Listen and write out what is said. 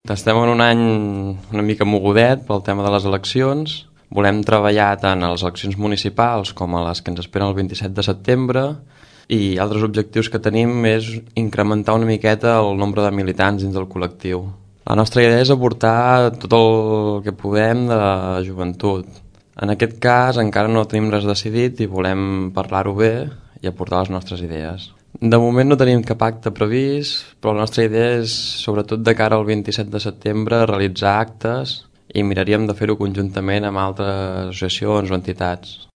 Estem en un any una mica mogudet pel tema de les eleccions. Volem treballar tant a les eleccions municipals com a les que ens esperen el 27 de setembre, i altres objectius que tenim és incrementar una miqueta el nombre de militants dins del col·lectiu. La nostra idea és aportar tot el que podem de la joventut. En aquest cas encara no tenim res decidit i volem parlar-ho bé i aportar les nostres idees. De moment no tenim cap acte previst, però la nostra idea és, sobretot de cara al 27 de setembre, realitzar actes, i miraríem de fer-ho conjuntament amb altres associacions o entitats.